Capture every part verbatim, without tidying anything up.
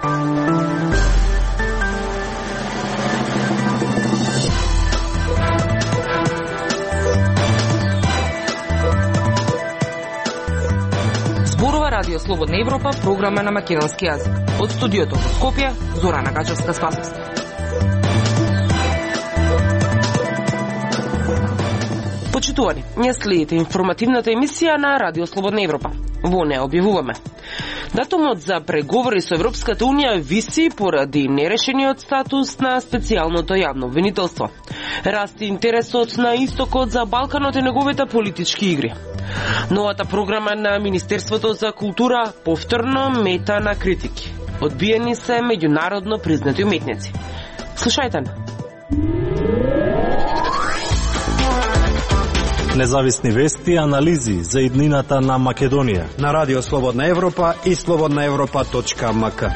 Радио Слободна Европа, програма на македонски јазик. Од студиото во Скопје, Зорана Гачевска-Спасовска. Почитувани, ние следите информативната емисија на Радио Слободна Европа. Во неја објавуваме: датумот за преговори со Европската Унија виси поради нерешениот статус на специјалното јавно обвинителство. Расти интересот на истокот за Балканот и неговите политички игри. Новата програма на Министерството за култура повторно мета на критики. Одбиени се меѓународно признати уметници. Слушајте на. Независни вести и анализи за иднината на Македонија на Радио Слободна Европа и слободна европа точка ем ка.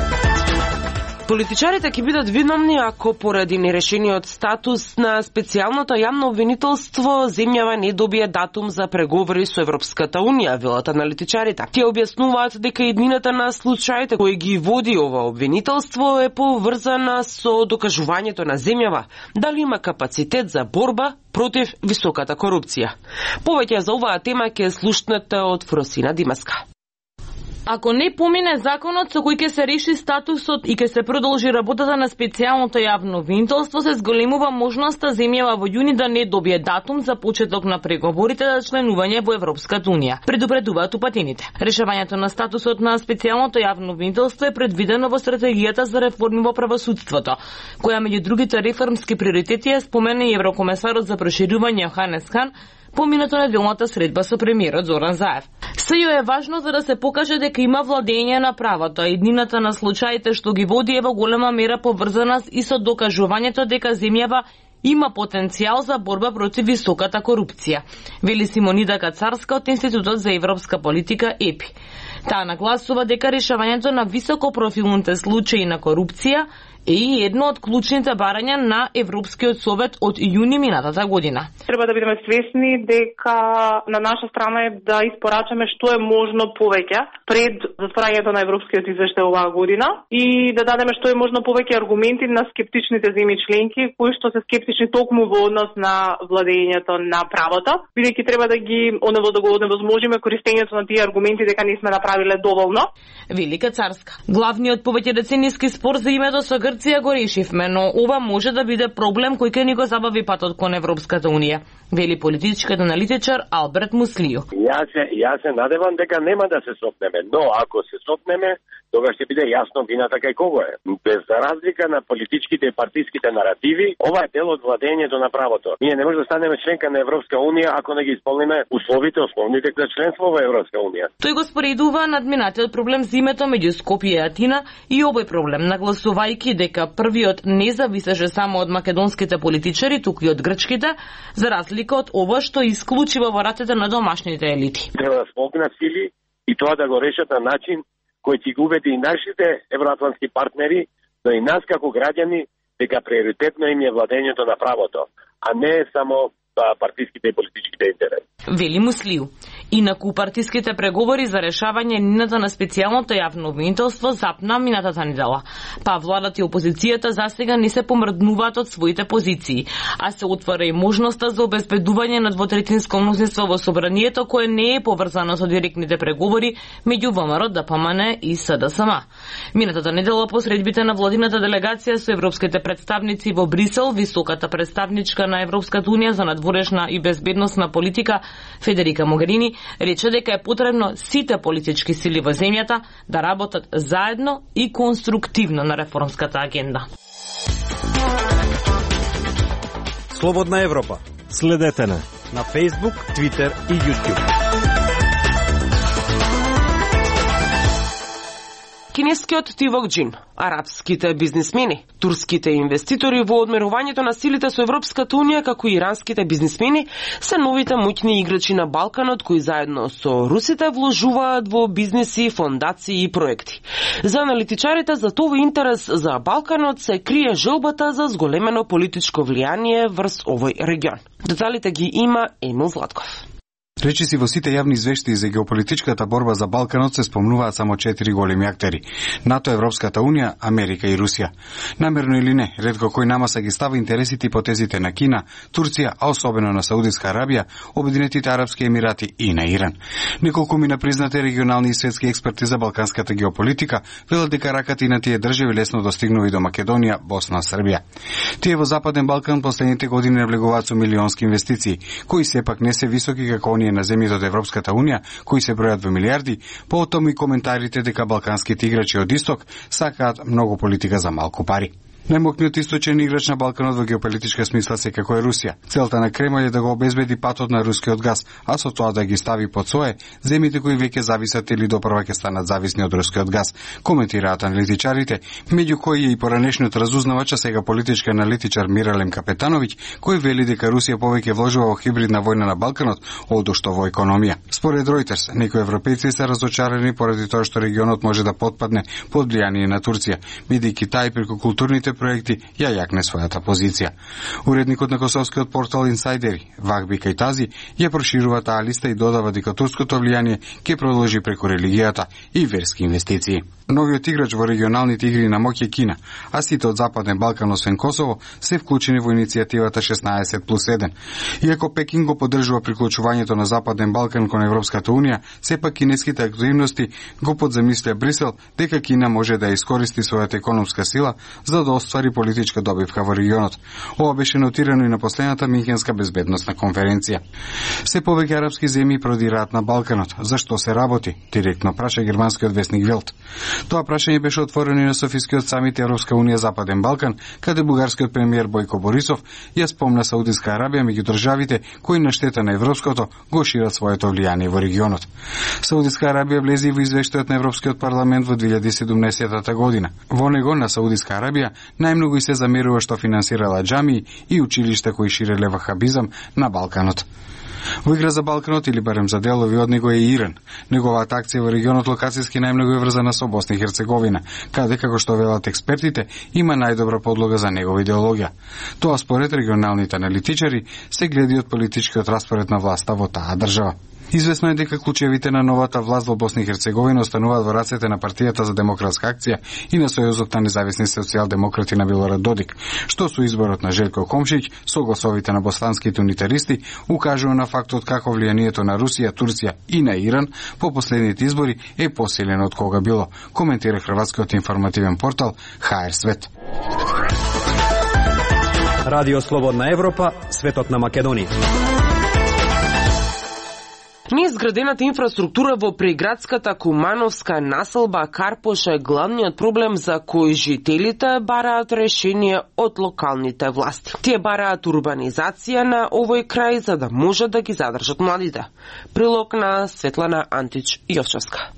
Политичарите ќе бидат виновни ако поради нерешениот статус на специјалното јавно обвинителство земјава не добие датум за преговори со Европската Унија, велат аналитичарите. Тие објаснуваат дека иднината на случаите кои ги води ова обвинителство е поврзана со докажувањето на земјава дали има капацитет за борба против високата корупција. Повеќе за оваа тема ќе слушнете од Фросина Димаска. Ако не помине законот со кој ќе се реши статусот и ќе се продолжи работата на специјалното јавно обвинителство, се зголемува можноста земјава во јуни да не добие датум за почеток на преговорите за членување во Европската Унија, предупредуваат упатените. Решавањето на статусот на специјалното јавно обвинителство е предвидено во стратегијата за реформи во правосудството, која меѓу другите реформски приоритети е спомена и еврокомесарот за проширување Јоханес Хан поминато неделната средба со премиерот Зоран Заев. Сејо е важно за да се покаже дека има владење на правото, а иднината на случаите што ги води е во голема мера поврзана и со докажувањето дека земјава има потенцијал за борба против високата корупција, вели Симонида Кацарска од Институтот за европска политика ЕПИ. Таа нагласува дека решавањето на високопрофилните случаи на корупција е и едно од клучните барања на Европскиот совет од јуни минатата година. Треба да бидеме свесни дека на наша страна е да испорачаме што е можно повеќе пред затворањето на Европскиот извештај оваа година и да дадеме што е можно повеќе аргументи на скептичните земји членки кои што се скептични токму во однос на владењето на правото, бидејќи треба да ги онево да го оневозможиме користењето на тие аргументи дека не сме направиле доволно. Велика Царска. Главниот повеќе децениски спор за името со Грција го решивме, но ова може да биде проблем кој ќе ни го забави патот кон Европската Унија, вели политичкиот аналитичар Алберт Муслију. Јас се, јас се надевам дека нема да се сопнеме, но ако се сопнеме, тогаш ќе биде јасно вината кај кого е. Без разлика на политичките и партиските наративи, ова е дел од владењето на правото. Ние не може да станеме членка на Европска Унија ако не ги исполниме условите основните за членство во Европска Унија. Тој го споредува надминатиот проблем за името меѓу Скопје и Атина и овој проблем, нагласувајќи дека првиот не зависеше само од македонските политичари, туку и од грчките, за разлика од ова што исклучива во рацете на домашните елити. Треба да смогнат сили и тоа да го решат на начин кој ќе го убеди и нашите евроатлантски партнери, но и нас како граѓани дека приоритетно им е владењето на правото, а не само партиските и политичките интереси. Вели Муслију. Инаку партиските преговори за решавање нината на специјалното јавно обвинителство запна минатата недела. Па владата и опозицијата засега не се помрднуваат од своите позиции, а се отвара и можноста за обезбедување на двотретинско мнозинство во собранието кое не е поврзано со директните преговори меѓу ВМРО, ДПМН и СДСМ. Минатата недела по средбите на владината делегација со европските представници во Брисел, високата представничка на Европската Унија за надворешна и безбедносна политика Федерика Могерини рече дека е потребно сите политички сили во земјата да работат заедно и конструктивно на реформската агенда. Слободна Европа. Следете на на Facebook, Twitter и YouTube. Кинескиот Тивок Џин, арапските бизнисмени, турските инвеститори во одмерувањето на силите со Европската Унија, како и иранските бизнисмени, се новите моќни играчи на Балканот кои заедно со русите вложуваат во бизниси, фондации и проекти. За аналитичарите за тој интерес за Балканот се крие желбата за зголемено политичко влијание врз овој регион. Деталите ги има Емил Златков. Речиси во сите јавни извештаи за геополитичката борба за Балканот се спомнуваат само четири големи актери: НАТО, Европската унија, Америка и Русија. Намерно или не, ретко кој намаса ги става интересите и потезите на Кина, Турција, а особено на Саудитска Арабија, Обединетите арапски емирати и на Иран. Неколку мина признати регионални и светски експерти за балканската геополитика велат дека раката и на тие држави лесно достигнува и до Македонија, Босна, Србија. Тие во Западен Балкан последните години навлегуваат со милионски инвестиции, кои сепак не се високи како оние на земјите од Европската унија, кои се бројат во милиарди, потом и коментарите дека балканските играчи од исток сакаат многу политика за малку пари. Најмокниот источен играч на Балканот во геополитичка смисла секако е Русија. Целта на Кремљ е да го обезбеди патот на рускиот газ, а со тоа да ги стави под свое земјите кои веќе зависат или допрва ќе станат зависни од рускиот газ, коментираат аналитичарите, меѓу кои е и поранешниот разузнавач, а сега политички аналитичар Миралем Капетановиќ, кој вели дека Русија повеќе вложува во хибридна војна на Балканот одошто во економија. Според Reuters, некои европејци се разочарани поради тоа што регионот може да потпадне под влијание на Турција, бидејќи тај преку културните проекти ја јакне својата позиција. Уредникот на косовскиот портал Инсайдери, Вахби Кајтази, ја проширува таа листа и додава дека турското влијание ќе продолжи преку религијата и верски инвестиции. Новиот играч во регионалните игри на моќ е Кина, а сите од Западен Балкан освен Косово се вклучени во иницијативата шеснаесет плюс еден. Иако Пекин го поддржува приклучувањето на Западен Балкан кон Европската унија, сепак кинеските активности го подземислија Брисел дека Кина може да искористи својата економска сила за да оствари политичка добивка во регионот. Ова беше нотирано и на последната Минхенска безбедносна конференција. Се повеќе арапски земји продираат на Балканот. Зашто се работи? Директно праша германскиот весник Велт. Тоа прашање беше отворено и на Софискиот самит Европска унија Западен Балкан, каде бугарскиот премиер Бојко Борисов ја спомна Саудитска Арабија меѓу државите кои на штета на европското го шират своето влијание во регионот. Саудитска Арабија влезе во извештајот на Европскиот парламент во две илјади и седумнаесета година. Во него на Саудитска Арабија најмногу и се замерува што финансирала џамии и училишта кои ширеле вахабизам на Балканот. Во игра за Балканот или барем за делови од него е Иран. Неговата акција во регионот локацијски најмногу е врзана со Босна и Херцеговина, каде, како што велат експертите, има најдобра подлога за негова идеологија. Тоа според регионалните аналитичари се гледи од политичкиот распоред на власта во таа држава. Известно е дека клучевите на новата власт во Босна и Херцеговина остануваат во рацете на партијата за демократска акција и на Сојузот на независни социјалдемократи на Милорад Додик, што со изборот на Желко Комшиć со гласовите на боснанските унитаристи укажува на фактот како влијанието на Русија, Турција и на Иран по последните избори е посилено од кога било, коментира хрватскиот информативен портал Ха Ер Свет. Радио Слободна Европа, светот на Македонија. Неизградената инфраструктура во приградската кумановска населба Карпош е главниот проблем за кој жителите бараат решение од локалните власти. Тие бараат урбанизација на овој крај за да можат да ги задржат младите. Прилог на Светлана Антич Јовчевска.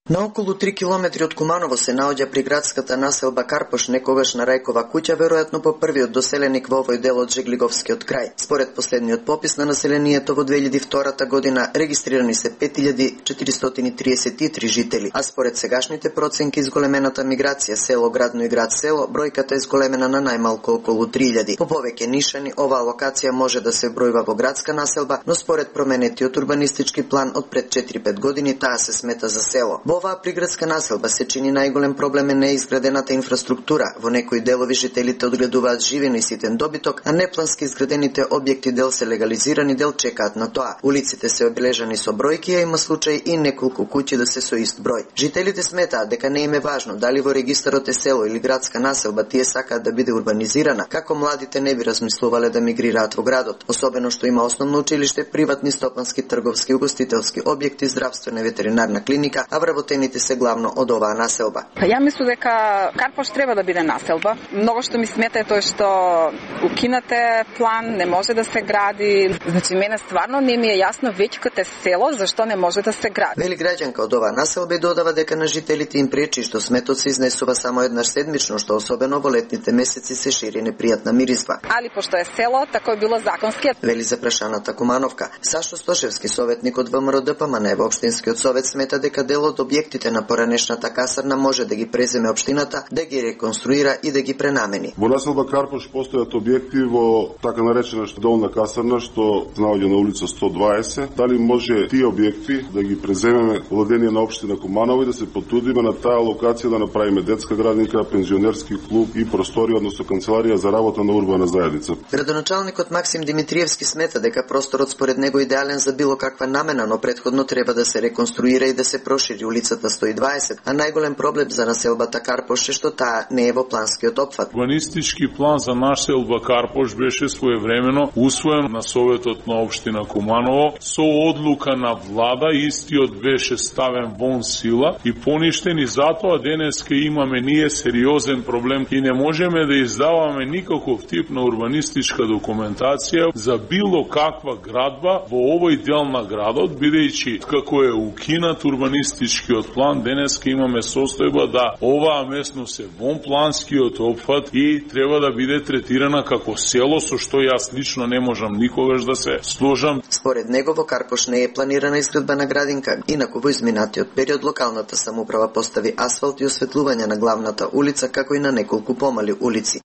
На околу три километри од Куманово се наоѓа приградската населба Карпош, некогаш на Рајкова куќа, веројатно по првиот доселеник во овој дел од Жеглиговскиот крај. Според последниот попис на населението во две илјади и втора година регистрирани се пет илјади четиристотини триесет и три жители, а според сегашните проценки изголемената миграција село-градно и град-село, бројката е изголемена на најмалку околу три илјади. По повеќе нишани, оваа локација може да се бројува во градска населба, но според променетиот урбанистички план од пред четири-пет години таа се смета за село. Во оваа приградска населба се чини најголем проблем е неизградената инфраструктура. Во некои делови жителите одгледуваат живина и ситен добиток, а неплански изградените објекти дел се легализирани, дел чекаат на тоа. Улиците се обележани со бројки, а има случаи и неколку куќи да се со ист број. Жителите сметаат дека не им е важно дали во регистарот е село или градска населба, тие сакаат да биде урбанизирана, како младите не би размислувале да мигрираат во градот, особено што има основно училиште, приватни стопански, трговски, угостителски објекти, здравствена и ветеринарна клиника, а вработените се главно од оваа населба. Ја мислам дека Карпош треба да биде населба. Многу што ми смета е тоа што укинате план, не може да се гради. Значи мене стварно не ми е јасно веќе като е село зашто не може да се гради. Вели граѓанка од оваа населба и додава дека на жителите им пречи што сметот се изнесува само еднаш седмично, што особено во летните месеци се шири непријатна миризба. Али пошто е село, тако е било законски. Вели за прашаната Кумановка. Сашо Стошевски, советник од ВМРО ДПМН во општинскиот совет, смета дека дел од објектите на поранешната касарна може да ги преземе општината, да ги реконструира и да ги пренамени. Во населба Карпош постојат објекти во така наречена долна касарна што се наоѓа на улица сто дваесет. Дали може тие објекти да ги преземеме владение на општина Куманово и да се потрудиме на таа локација да направиме детска градинка, пензионерски клуб и простори, односно канцеларија за работа на урбана заедница. Градоначалникот Максим Димитриевски смета дека просторот според него е идеален за било каква намена, но претходно треба да се реконструира и да се прошири улицата сто дваесет, а најголем проблем за населбата Карпош е што таа не е во планскиот опфат. Урбанистички план за населба Карпош беше своевремено усвоен на Советот на општина Куманово со одлука на влада, истиот беше ставен вон сила и поништен, и затоа денеска имаме ние сериозен проблем и не можеме да издаваме никаков тип на урбанистичка документација за било каква градба во овој дел на градот, бидејќи како е укинат урбанистичкиот план, денеска имаме состојба да оваа местност е вон планскиот опфат и треба да биде третирана како село, со што јас лично не можам никогаш да се сложам. Според него во Карпош не е планирана изградба на градинка, инаку во изминатиот период локалната самоуправа постави асфалт и осветлување на главната улица, како и на неколку помали улици.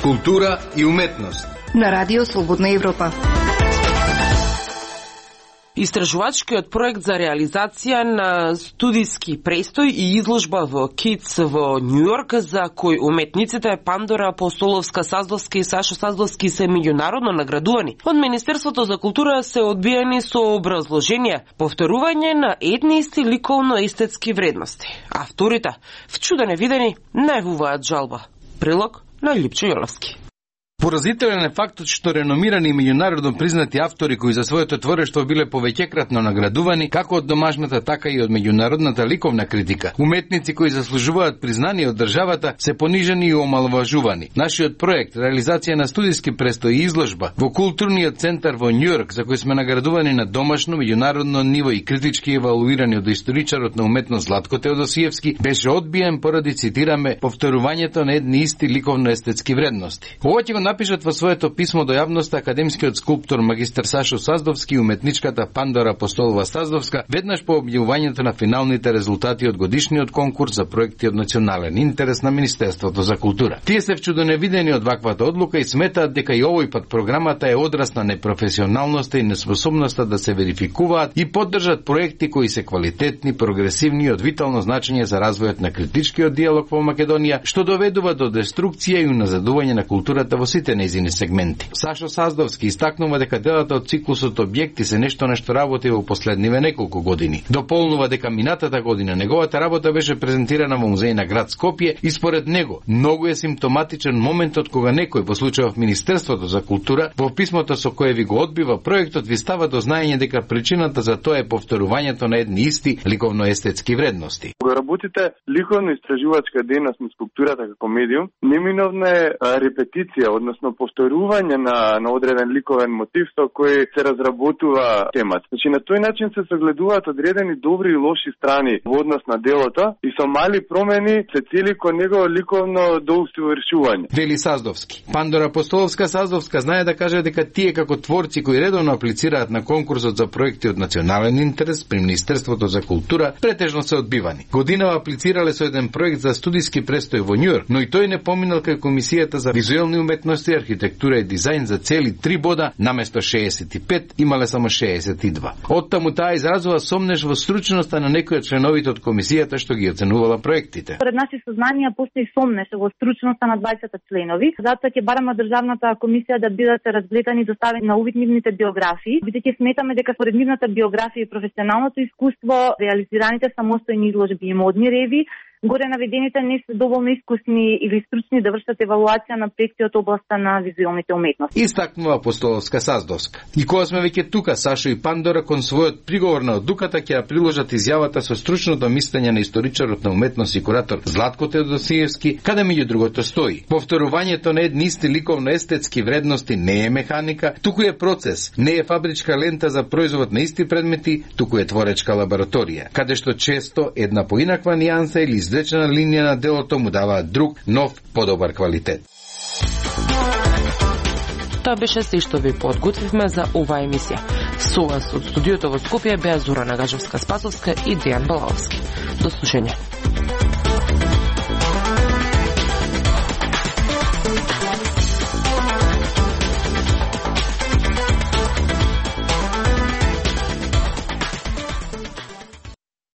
Култура и уметност на Радио Слободна Европа. Истражувачкиот проект за реализација на студиски престој и изложба во КИЦ во Њујорк, за кој уметниците Пандора Апостоловска-Саздовски и Сашо Саздовски се меѓународно наградувани, од Министерството за култура се одбиени со образложение повторување на едни исти ликовно-естетски вредности. Авторите, вчудено видени, најавуваат жалба. Прилог на Липчо Јоловски. Поразителен е фактот што реномирани и меѓународно признати автори кои за своето творештво биле повеќекратно наградувани, како од домашната, така и од меѓународната ликовна критика. Уметници кои заслужуваат признание од државата се понижени и омаловажувани. Нашиот проект, реализација на студиски престој и изложба во културниот центар во Њујорк, за кој сме наградувани на домашно, меѓународно ниво и критички евалуирани од историчарот на уметност Златко Теодосиевски, беше одбиен поради, цитираме, повторувањето на едни исти ликовно-естетски вредности. Ова ќе го напишат во своето писмо до јавноста академскиот скулптор магистар Сашо Саздовски и уметничката Пандора Апостолова-Саздовска веднаш по објавувањето на финалните резултати од годишниот конкурс за проекти од национален интерес на Министерството за култура. Тие се вчудоневидени од ваквата одлука и сметаат дека и овој пат програмата е одраз на непрофесионалноста и неспособноста да се верификуваат и поддржат проекти кои се квалитетни, прогресивни и од витално значење за развојот на критичкиот диалог во Македонија, што доведува до деструкција и уназадување на културата во сите нејзини сегменти. Сашо Саздовски истакнува дека делата од циклусот објекти се нешто на што работи во последниве неколку години. Дополнува дека минатата година неговата работа беше презентирана во музеј на град Скопје и според него многу е симптоматичен моментот кога некој, во случајов Министерството за култура, во писмото со кое ви го одбива проектот, ви става до знаење дека причината за тоа е повторувањето на едни исти ликовно-естетски вредности. Кога работите ликовно-истражувачка дејност на скулптурата како медиум, неминовна е репетиција, односно повторување на, на одреден ликовен мотив со кој се разработува темата. Значи на тој начин се согледуваат одредени добри и лоши страни во однос на делото и со мали промени се цели кон него ликовно доусовршување. Вели Саздовски. Пандора Апостоловска-Саздовска знае да каже дека тие како творци кои редовно аплицираат на конкурсот за проекти од национален интерес при Министерството за култура претежно се одбивани. Годинава аплицирале со еден проект за студиски престој во Њујорк, но и тој не поминал кај Комисијата за визуелни уметности, архитектура и дизајн за цели три бода, наместо шеесет и пет имале само шеесет и два. Оттаму таа изразува сомнеш во стручноста на некои од членовите од комисијата што ги оценувала проектите. Според наши сознанија постои сомнеш во стручноста на дваесет членови, затоа ќе бараме државната комисија да бидат разгледани и доставени на увид нивните биографии, бидејќи сметаме дека според нивната биографија и професионалното искуство реализираните самостојни изложби и модни реви, горе наведените не се доволно искусни или стручни да вршат евалуација на проекти од областа на визуелните уметности. Истакнува Апостоловска-Саздовска. И кога сме веќе тука, Сашо и Пандора кон својот приговор на одлуката ќе ја приложат изјавата со стручното мислење на историчарот на уметност и куратор Златко Теодосиевски, каде меѓу другото стои: повторувањето на едни исти ликовно-естетски вредности не е механика, туку е процес, не е фабричка лента за производ на исти предмети, туку е творечка лабораторија, каде што често една поинаква нијанса или изречена линија на делото му даваат друг, нов, подобар квалитет. Тоа беше се што ви подготвивме за оваа емисија. Со вас од студиото во Скопје беа Зорана Гажевска-Спасовска и Дејан Балаовски. До слушање.